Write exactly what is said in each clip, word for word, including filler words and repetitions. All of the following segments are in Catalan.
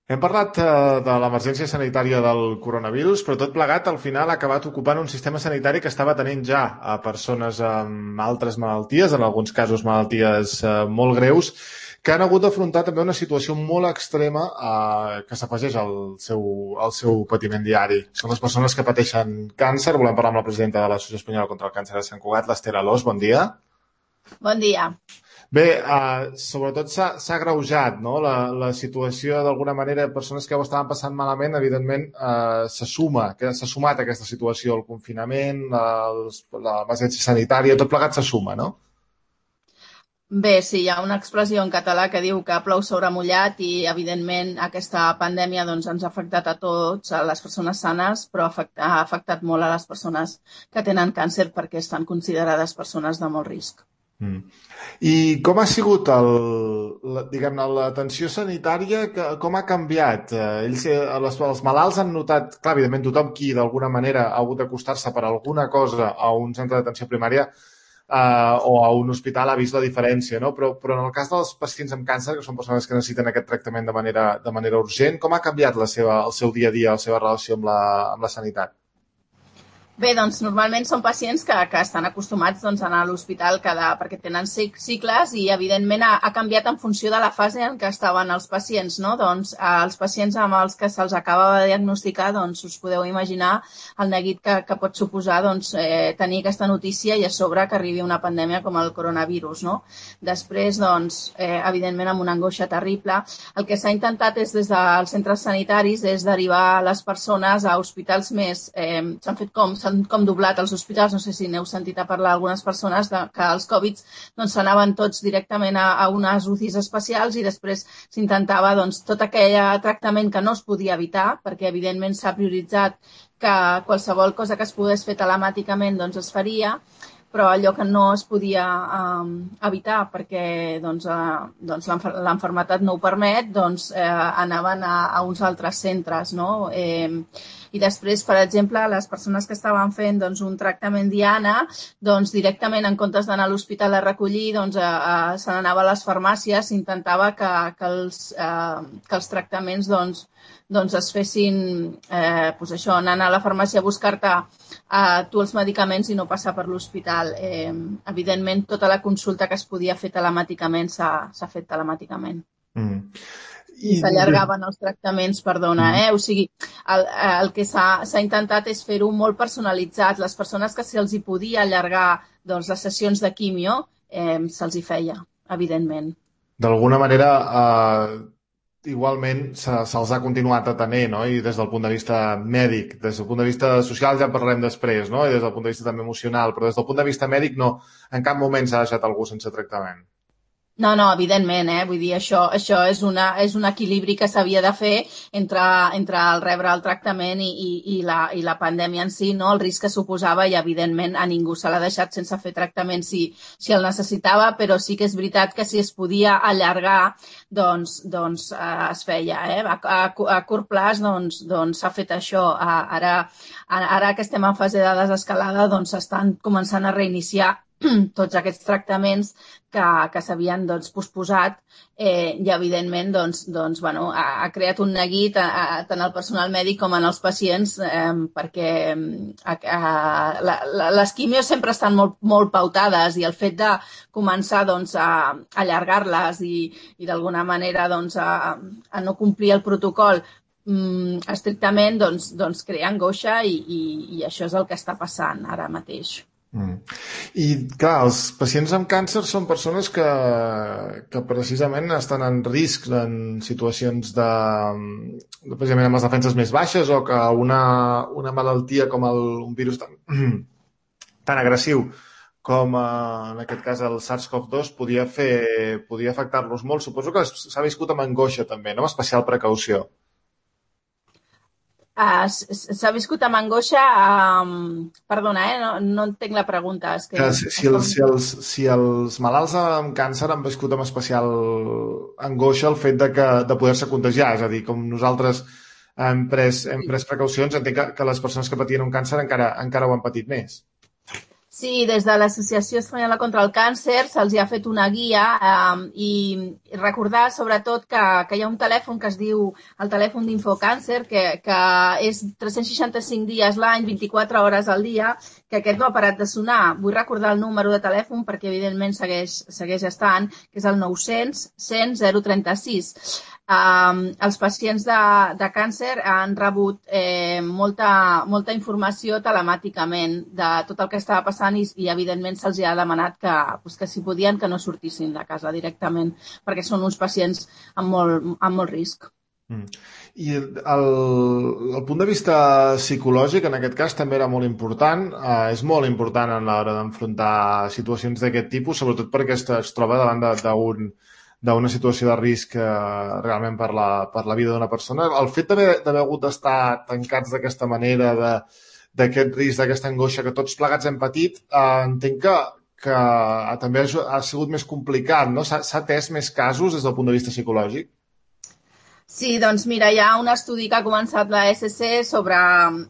Hem parlat eh, de l'emergència sanitària del coronavirus, però tot plegat al final ha acabat ocupant un sistema sanitari que estava tenint ja a persones amb altres malalties, en alguns casos malalties eh, molt greus, que han hagut d'afrontar també una situació molt extrema eh, que s'afegeix al seu, al seu patiment diari. Són les persones que pateixen càncer. Volem parlar amb la presidenta de l'Associació Espanyola contra el Càncer de Sant Cugat, l'Esther Alòs. Bon dia. Bon dia. Bé, uh, sobretot s'ha s'ha agreujat, no? La, la situació, d'alguna manera, persones que ho estaven passant malament, evidentment, uh, se suma, que s'ha sumat a aquesta situació, el confinament, l'emergència sanitària, tot plegat se suma, no? Bé, sí, hi ha una expressió en català que diu que plou sobre mullat i, evidentment, aquesta pandèmia doncs, ens ha afectat a tots, a les persones sanes, però ha afectat molt a les persones que tenen càncer perquè estan considerades persones de molt risc. Mm. I com ha sigut el, la, diguem-ne, l'atenció sanitària, que, com ha canviat? Eh, ells, eh, les, els malalts han notat, clar, evidentment tothom qui d'alguna manera ha hagut d'acostar-se per alguna cosa a un centre d'atenció primària eh, o a un hospital ha vist la diferència, no? Però, però en el cas dels pacients amb càncer, que són persones que necessiten aquest tractament de manera, de manera urgent, com ha canviat la seva, el seu dia a dia, la seva relació amb la, amb la sanitat? Bé, doncs normalment són pacients que, que estan acostumats doncs, a anar a l'hospital cada, perquè tenen cicles i evidentment ha, ha canviat en funció de la fase en què estaven els pacients, no? Doncs els pacients amb els que se'ls acaba de diagnosticar, doncs us podeu imaginar el neguit que, que pot suposar doncs, eh, tenir aquesta notícia i a sobre que arribi una pandèmia com el coronavirus, no? Després, doncs, eh, evidentment amb una angoixa terrible. El que s'ha intentat és des dels centres sanitaris és derivar les persones a hospitals més, eh, s'han fet com s'han com doblat els hospitals, no sé si n'heu sentit a parlar algunes persones de, que els Covid doncs s'anaven tots directament a, a unes U C Is especials i després s'intentava doncs tot aquell tractament que no es podia evitar, perquè evidentment s'ha prioritzat que qualsevol cosa que es pogués fer telemàticament doncs es faria, però allò que no es podia um, evitar perquè doncs, uh, doncs l'enfermetat no ho permet, doncs eh, anaven a, a uns altres centres, no? Eh, I després, per exemple, les persones que estaven fent doncs, un tractament diana, doncs directament en comptes d'anar a l'hospital a recollir, doncs, a, a, se n'anava a les farmàcies, s'intentava que, que, els, eh, que els tractaments doncs, doncs es fessin, eh, doncs això, anant a la farmàcia a buscar-te eh, tu els medicaments i no passar per l'hospital. Eh, evidentment, tota la consulta que es podia fer telemàticament s'ha fet telemàticament. Mm. I s'allargaven els tractaments, perdona, eh? O sigui, el, el que s'ha intentat és fer-ho molt personalitzat. Les persones que se'ls hi podia allargar doncs, les sessions de quimio, eh, se'ls hi feia, evidentment. D'alguna manera, eh, igualment se, se'ls ha continuat atenent, no? I des del punt de vista mèdic, des del punt de vista social ja en parlarem després, no? I des del punt de vista també emocional, però des del punt de vista mèdic no, en cap moment s'ha deixat algú sense tractament. No, no, evidentment, eh? Vull dir, això, això és, una, és un equilibri que s'havia de fer entre, entre el rebre el tractament i, i, i, la, i la pandèmia en si, no? El risc que suposava i, evidentment, a ningú se l'ha deixat sense fer tractament si, si el necessitava, però sí que és veritat que si es podia allargar, doncs, doncs eh, es feia, eh? A, a, a curt plaç, doncs, doncs s'ha fet això. A, ara, ara que estem en fase de desescalada, doncs s'estan començant a reiniciar tots aquests tractaments que, que s'havien doncs, posposat eh, i, evidentment, doncs, doncs, bueno, ha, ha creat un neguit a, a, tant al personal mèdic com en els pacients eh, perquè a, a, la, la, les quimios sempre estan molt, molt pautades i el fet de començar doncs, a, a allargar-les i, i d'alguna manera doncs, a, a no complir el protocol mm, estrictament doncs, doncs crea angoixa i, i, i això és el que està passant ara mateix. Mm. I clar, els pacients amb càncer són persones que, que precisament estan en risc en situacions de, de precisament amb les defenses més baixes o que una, una malaltia com el, un virus tan, tan agressiu com eh, en aquest cas el SARS-CoV dos podia fer, podia afectar-los molt. Suposo que s'ha viscut amb angoixa també, no? Amb especial precaució. Uh, s'ha viscut amb angoixa, um, perdona, eh? no, no entenc la pregunta. És que... Si, si, els, si, els, si els malalts amb càncer han viscut amb especial angoixa el fet de, que, de poder-se contagiar, és a dir, com nosaltres hem pres, hem pres precaucions, entenc que, que les persones que patien un càncer encara, encara ho han patit més. Sí, des de l'Associació Espanyola contra el Càncer se'ls ha fet una guia eh, i recordar sobretot que, que hi ha un telèfon que es diu el telèfon d'Infocàncer, que, que és tres-cents seixanta-cinc dies l'any, vint-i-quatre hores al dia, que aquest no ha parat de sonar. Vull recordar el número de telèfon perquè evidentment segueix, segueix estant, que és el nou-cents cent zero trenta-sis. Um, els pacients de, de càncer han rebut eh, molta, molta informació telemàticament de tot el que estava passant i, i evidentment se'ls ha demanat que, pues, que si podien que no sortissin de casa directament perquè són uns pacients amb molt, amb molt risc. Mm. I el, el punt de vista psicològic en aquest cas també era molt important, eh, és molt important a l'hora d'enfrontar situacions d'aquest tipus, sobretot perquè es, es troba davant d'un d'una situació de risc eh, realment per la, per la vida d'una persona. El fet d'haver hagut d'estar tancats d'aquesta manera, d'aquest risc, d'aquesta angoixa que tots plegats hem patit, eh, entenc que, que també ha, ha sigut més complicat, no? S'ha atès més casos des del punt de vista psicològic? Sí, doncs mira, hi ha un estudi que ha començat la E S C sobre,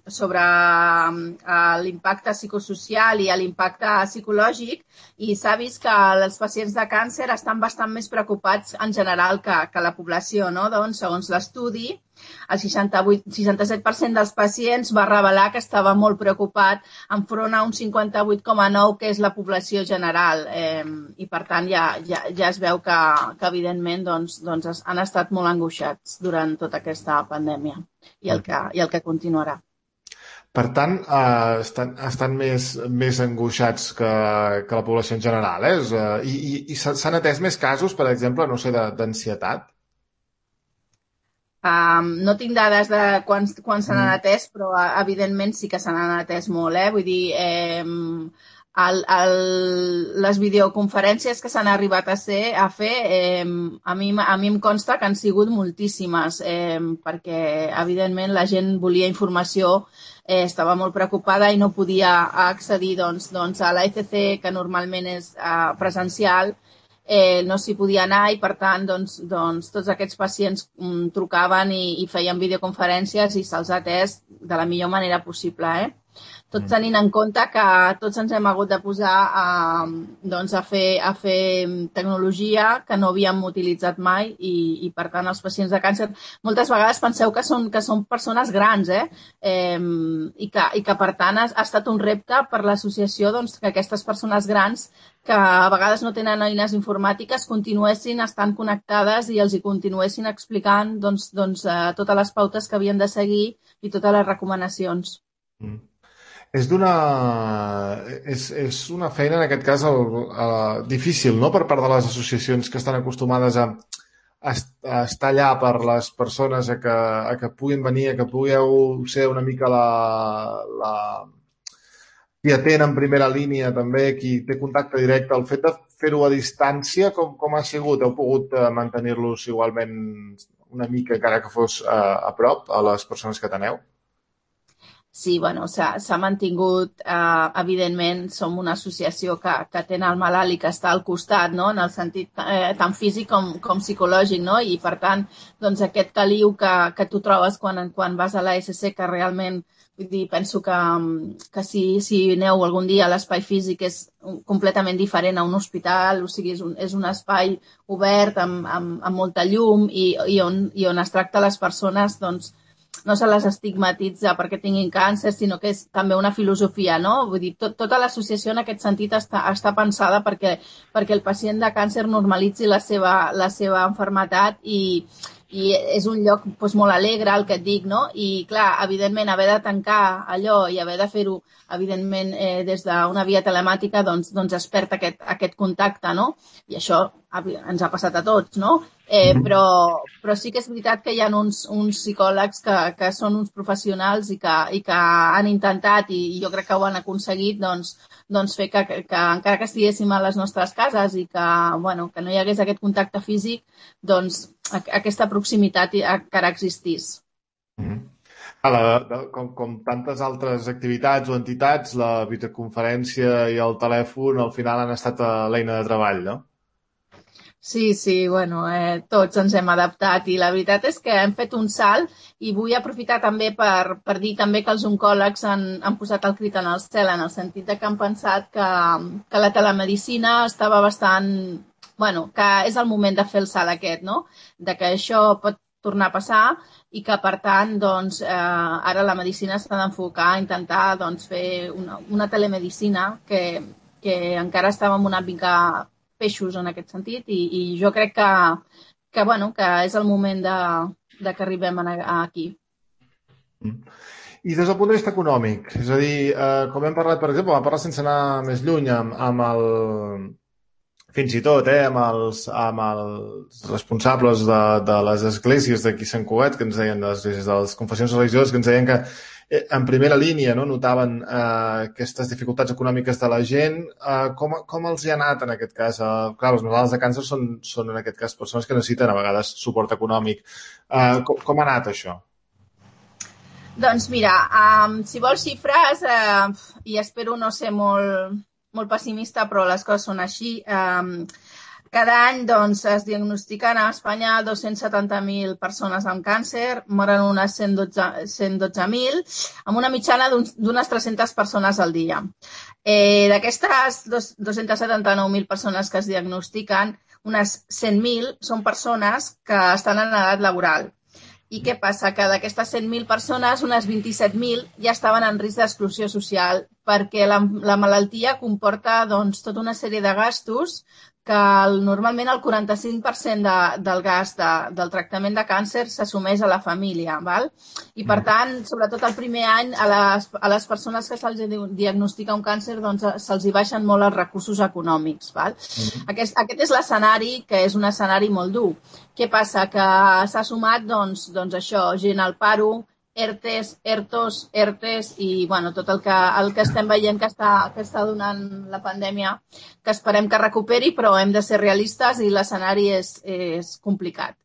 sobre uh, l'impacte psicosocial i l'impacte psicològic i s'ha vist que els pacients de càncer estan bastant més preocupats en general que, que la població, no? Doncs, segons l'estudi, el seixanta-vuit, seixanta-set per cent dels pacients va revelar que estava molt preocupat enfront a un cinquanta-vuit coma nou que és la població general eh, i per tant ja, ja, ja es veu que, que evidentment doncs, doncs han estat molt angoixats durant tota aquesta pandèmia i el que, i el que continuarà. Per tant, eh, estan, estan més, més angoixats que, que la població en general, eh? I, i, i s'han atès més casos, per exemple, no sé, d'ansietat? Um, no tinc dades de quan, quan se n'han atès, però evidentment sí que se n'han atès molt, eh? Vull dir, eh, el, el, les videoconferències que s'han arribat a, ser, a fer, eh, a, mi, a mi em consta que han sigut moltíssimes, eh, perquè evidentment la gent volia informació, eh, estava molt preocupada i no podia accedir doncs, doncs, a l'A E C C, que normalment és eh, presencial, Eh, no s'hi podia anar i, per tant, doncs, doncs, tots aquests pacients mm, trucaven i, i feien videoconferències i se'ls ha atès de la millor manera possible, eh? Tot tenint en compte que tots ens hem hagut de posar a, doncs, a, fer, a fer tecnologia que no havíem utilitzat mai i, i, per tant, els pacients de càncer moltes vegades penseu que són, que són persones grans, eh? eh i, que, i que, per tant, ha, ha estat un repte per l'associació doncs, que aquestes persones grans que a vegades no tenen eines informàtiques continuessin estant connectades i els hi continuessin explicant doncs, doncs, eh, totes les pautes que havien de seguir i totes les recomanacions. Mm. És d'una... És, és una feina, en aquest cas, el, el, difícil, no?, per part de les associacions que estan acostumades a, a, a estar allà per les persones a que, a que puguin venir, a que pugueu ser una mica la... la qui atén en primera línia també, qui té contacte directe. El fet de fer-ho a distància, com, com ha sigut? Heu pogut mantenir-los igualment una mica, encara que fos a, a prop, a les persones que teneu? Sí, bueno, s'ha mantingut, eh, evidentment, som una associació que, que té el malalt i que està al costat, no?, en el sentit eh, tant físic com, com psicològic, no?, i per tant, doncs aquest caliu que, que tu trobes quan, quan vas a l'A S C, que realment, vull dir, penso que, que si, si aneu algun dia a l'espai físic és completament diferent a un hospital, o sigui, és un, és un espai obert amb, amb, amb molta llum i, i, on, i on es tracta les persones, doncs, no se les estigmatitza perquè tinguin càncer, sinó que és també una filosofia, no? Vull dir, tot, tota l'associació en aquest sentit està, està pensada perquè, perquè el pacient de càncer normalitzi la seva, la seva malaltia i, i és un lloc doncs, molt alegre, el que et dic, no? I, clar, evidentment, haver de tancar allò i haver de fer-ho, evidentment, eh, des d'una via telemàtica, doncs, doncs es perd aquest, aquest contacte, no? I això ens ha passat a tots, no? Eh, però, però sí que és veritat que hi ha uns, uns psicòlegs que, que són uns professionals i que, i que han intentat, i jo crec que ho han aconseguit, doncs, doncs fer que, que, que encara que estiguéssim a les nostres cases i que, bueno, que no hi hagués aquest contacte físic, doncs aquesta proximitat encara existís. Mm-hmm. La, de, com, com tantes altres activitats o entitats, la videoconferència i el telèfon al final han estat l'eina de treball, no? Sí, sí, bueno, eh, tots ens hem adaptat i la veritat és que hem fet un salt i vull aprofitar també per, per dir també que els oncòlegs han, han posat el crit en el cel en el sentit de que han pensat que, que la telemedicina estava bastant... Bueno, que és el moment de fer el salt aquest, no? De que això pot tornar a passar i que, per tant, doncs, eh, ara la medicina s'ha d'enfocar a intentar doncs, fer una, una telemedicina que, que encara estàvem una mica peixos en aquest sentit i, i jo crec que, que, bueno, que és el moment de, de que arribem a, a aquí. Mm. I des del punt de vista econòmic, és a dir, eh, com hem parlat, per exemple, vam parlar sense anar més lluny amb, amb el, fins i tot, eh, amb els, amb els responsables de, de les esglésies d'aquí Sant Cugat, que ens deien, de les, esglésies, de les confessions religioses, que ens deien que eh, en primera línia no, notaven eh, aquestes dificultats econòmiques de la gent. Eh, com, com els hi ha anat en aquest cas? Eh, clar, els malalts de càncer són, són en aquest cas persones que necessiten a vegades suport econòmic. Eh, com, com ha anat això? Doncs mira, um, si vols xifres, uh, i espero no ser molt, molt pessimista, però les coses són així, um, cada any doncs, es diagnostiquen a Espanya dos-cents setanta mil persones amb càncer, moren unes cent dotze mil, amb una mitjana d'unes tres-centes persones al dia. Eh, D'aquestes dos-cents setanta-nou mil persones que es diagnostiquen, unes cent mil són persones que estan en edat laboral. I què passa? Que d'aquestes cent mil persones, unes vint-i-set mil ja estaven en risc d'exclusió social perquè la, la malaltia comporta doncs, tota una sèrie de gastos que el, normalment el quaranta-cinc per cent de, del gast de, del tractament de càncer s'assumeix a la família. Val? I per tant, sobretot el primer any, a les, a les persones que se'ls diagnostica un càncer doncs, se'ls hi baixen molt els recursos econòmics. Val? Mm-hmm. Aquest, aquest és l'escenari, que és un escenari molt dur. Què passa? Que s'ha sumat doncs, doncs això, gent al paro, ERTES, ERTOs, ERTES i bueno, tot el que, el que estem veient que està, que està donant la pandèmia, que esperem que recuperi, però hem de ser realistes i l'escenari és, és complicat.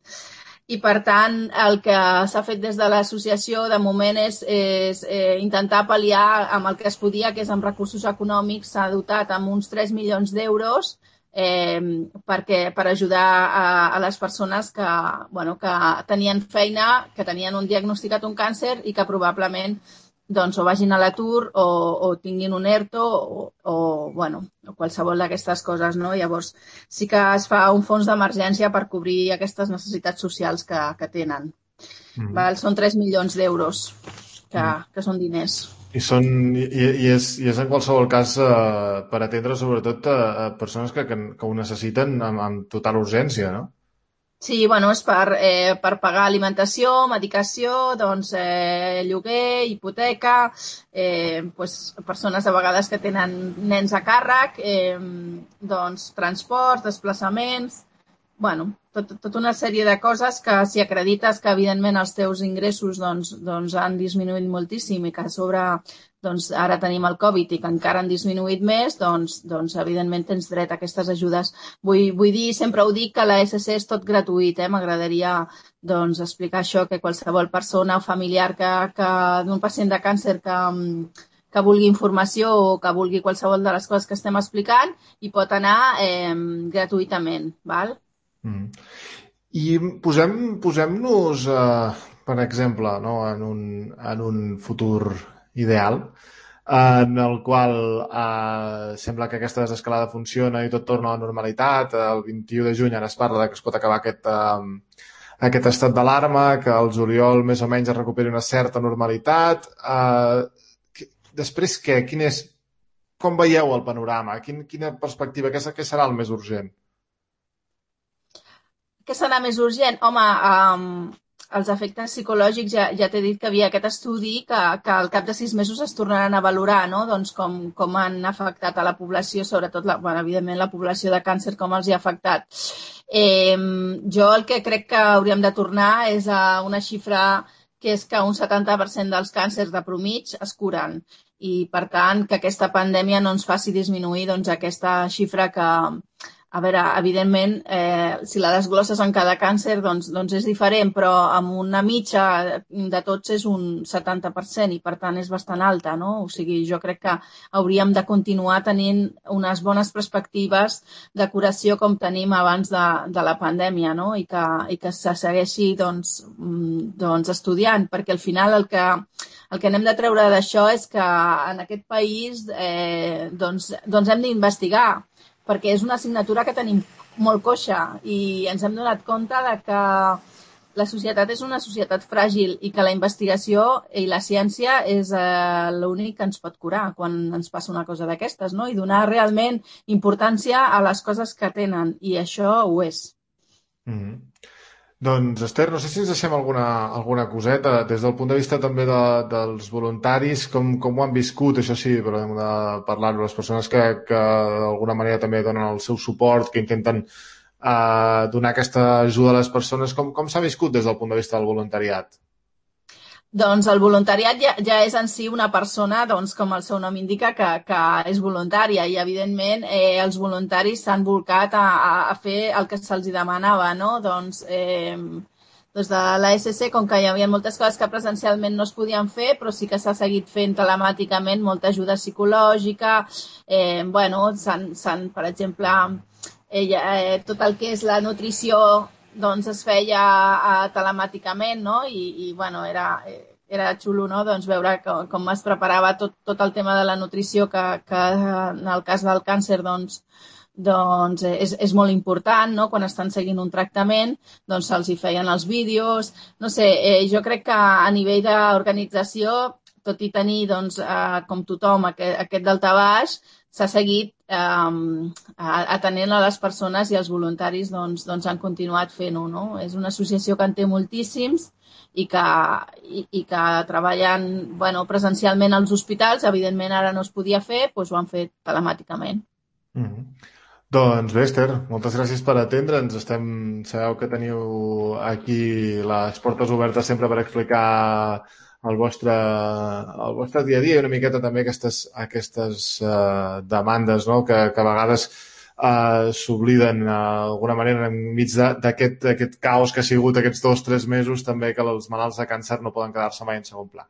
I, per tant, el que s'ha fet des de l'associació de moment és, és eh, intentar pal·liar amb el que es podia, que és amb recursos econòmics, s'ha dotat amb uns tres milions d'euros Eh, perquè, per ajudar a, a les persones que, bueno, que tenien feina, que tenien un diagnosticat un càncer i que probablement doncs, o vagin a l'atur o, o tinguin un ERTO o, o, bueno, o qualsevol d'aquestes coses. No? Llavors sí que es fa un fons d'emergència per cobrir aquestes necessitats socials que, que tenen. Mm-hmm. Val? Són tres milions d'euros, que, mm. que són diners. I, són, i, i, és, i és en qualsevol cas eh, per atendre sobretot a, a persones que, que, que ho necessiten amb, amb total urgència, no? Sí, bueno, és per, eh, per pagar alimentació, medicació, doncs, eh, lloguer, hipoteca, eh, pues, persones a vegades que tenen nens a càrrec, eh, doncs, transports, desplaçaments, bueno, tot, tot una sèrie de coses que si acredites que evidentment els teus ingressos doncs, doncs han disminuït moltíssim i que a sobre doncs, ara tenim el Covid i que encara han disminuït més, doncs, doncs evidentment tens dret a aquestes ajudes. Vull, vull dir, sempre ho dic, que l'A S C és tot gratuït. Eh? M'agradaria doncs, explicar això, que qualsevol persona o familiar que, que d'un pacient de càncer que, que vulgui informació o que vulgui qualsevol de les coses que estem explicant hi pot anar eh, gratuïtament. Val? Mm. I posem, posem-nos, eh, per exemple, no, en, un, en un futur ideal en el qual eh, sembla que aquesta desescalada funciona i tot torna a la normalitat. El vint-i-u de juny ara es parla de que es pot acabar aquest, eh, aquest estat d'alarma, que el juliol més o menys es recuperi una certa normalitat. Eh, després què? Quin és, com veieu el panorama? Quin, quina perspectiva? Què, què serà el més urgent? Què serà més urgent? Home, um, els efectes psicològics, ja, ja t'he dit que havia aquest estudi que, que al cap de sis mesos es tornaran a valorar, no? Doncs com, com han afectat a la població, sobretot, la, bueno, evidentment, la població de càncer, com els hi ha afectat. Eh, jo el que crec que hauríem de tornar és a una xifra que és que un setanta per cent dels càncers de promig es curen. I, per tant, que aquesta pandèmia no ens faci disminuir doncs, aquesta xifra que a veure, evidentment, eh, si la desglosses en cada càncer, doncs, doncs és diferent, però amb una mitja de tots és un setanta per cent i, per tant, és bastant alta, no? O sigui, jo crec que hauríem de continuar tenint unes bones perspectives de curació com tenim abans de, de la pandèmia, no? I que, i que se segueixi, doncs, doncs, estudiant, perquè al final el que, el que n'hem de treure d'això és que en aquest país eh, doncs, doncs hem d'investigar, perquè és una assignatura que tenim molt coixa i ens hem donat compte de que la societat és una societat fràgil i que la investigació i la ciència és eh, l'únic que ens pot curar quan ens passa una cosa d'aquestes, no? I donar realment importància a les coses que tenen, i això ho és. Mm-hmm. Doncs, Esther, no sé si ens deixem alguna, alguna coseta des del punt de vista també de, dels voluntaris, com, com ho han viscut, això sí, però hem de parlar-ho, les persones que, que d'alguna manera també donen el seu suport, que intenten eh, donar aquesta ajuda a les persones, com, com s'ha viscut des del punt de vista del voluntariat? Doncs el voluntariat ja, ja és en si una persona, doncs, com el seu nom indica, que, que és voluntària, i evidentment eh, els voluntaris s'han volcat a, a fer el que se'ls demanava, no? Doncs eh, des de l'A S C, com que hi havia moltes coses que presencialment no es podien fer, però sí que s'ha seguit fent telemàticament molta ajuda psicològica, eh, bueno, s'han, s'han, per exemple, eh, eh, tot el que és la nutrició doncs es feia uh, telemàticament, no? I, i bueno, era, era xulo, no? Doncs veure com, com es preparava tot, tot el tema de la nutrició, que, que en el cas del càncer, doncs, doncs és, és molt important, no? Quan estan seguint un tractament, doncs se'ls hi feien els vídeos. No sé, eh, jo crec que a nivell d'organització, tot i tenir, doncs, eh, com tothom, aquest, aquest daltabaix, s'ha seguit eh, atenent a les persones, i els voluntaris doncs, doncs han continuat fent-ho, no? És una associació que en té moltíssims i que, i, i que treballen, bueno, presencialment als hospitals. Evidentment ara no es podia fer, doncs ho han fet telemàticament. Mm-hmm. Doncs bé, Esther, moltes gràcies per atendre'ns. Estem... Sabeu que teniu aquí les portes obertes sempre per explicar el vostre, el vostre dia a dia, i una miqueta també aquestes, aquestes uh, demandes, no? que, que a vegades uh, s'obliden uh, d'alguna manera enmig d'aquest aquest caos que ha sigut aquests dos o tres mesos, també, que els malalts de càncer no poden quedar-se mai en segon pla.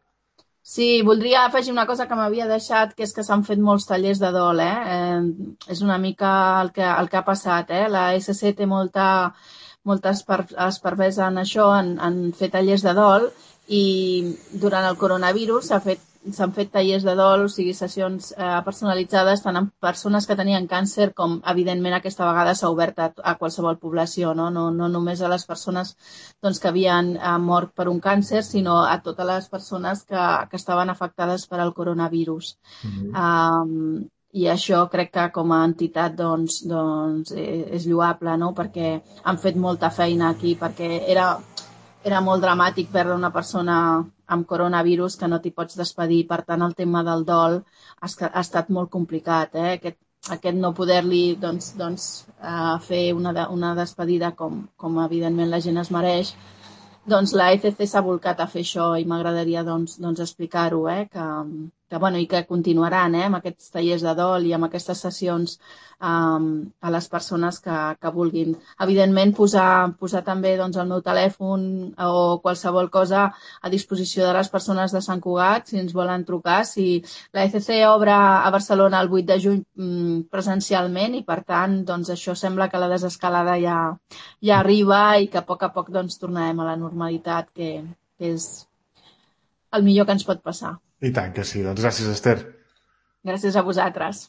Sí, voldria afegir una cosa que m'havia deixat, que és que s'han fet molts tallers de dol, eh? eh és una mica el que, el que ha passat, eh? La S C té molta, molta expertesa en això, en, en fer tallers de dol, i durant el coronavirus s'ha fet s'han fet tallers de dol, o sigui, sessions eh, personalitzades tant amb persones que tenien càncer com, evidentment, aquesta vegada s'ha obert a, a qualsevol població, no? No, no només a les persones doncs, que havien eh, mort per un càncer, sinó a totes les persones que, que estaven afectades per al coronavirus. Mm-hmm. Um, I això crec que com a entitat doncs, doncs, eh, és lloable, no? Perquè han fet molta feina aquí, perquè era... Era molt dramàtic perdre una persona amb coronavirus que no t'hi pots despedir. Per tant, el tema del dol ha, ha estat molt complicat. Eh? Aquest, aquest no poder-li doncs, doncs, uh, fer una, de, una despedida com, com evidentment la gent es mereix. Doncs la E C C s'ha volcat a fer això, i m'agradaria doncs, doncs explicar-ho, eh? que, que, bueno, i que continuaran eh? amb aquests tallers de dol i amb aquestes sessions um, a les persones que, que vulguin. Evidentment, posar, posar també doncs, el meu telèfon o qualsevol cosa a disposició de les persones de Sant Cugat, si ens volen trucar. Si la E C C obre a Barcelona el vuit de juny mm, presencialment, i per tant doncs, això sembla que la desescalada ja, ja arriba, i que a poc a poc doncs, tornarem a la normalitat, que, que és el millor que ens pot passar. I tant que sí. Doncs gràcies, Esther. Gràcies a vosaltres.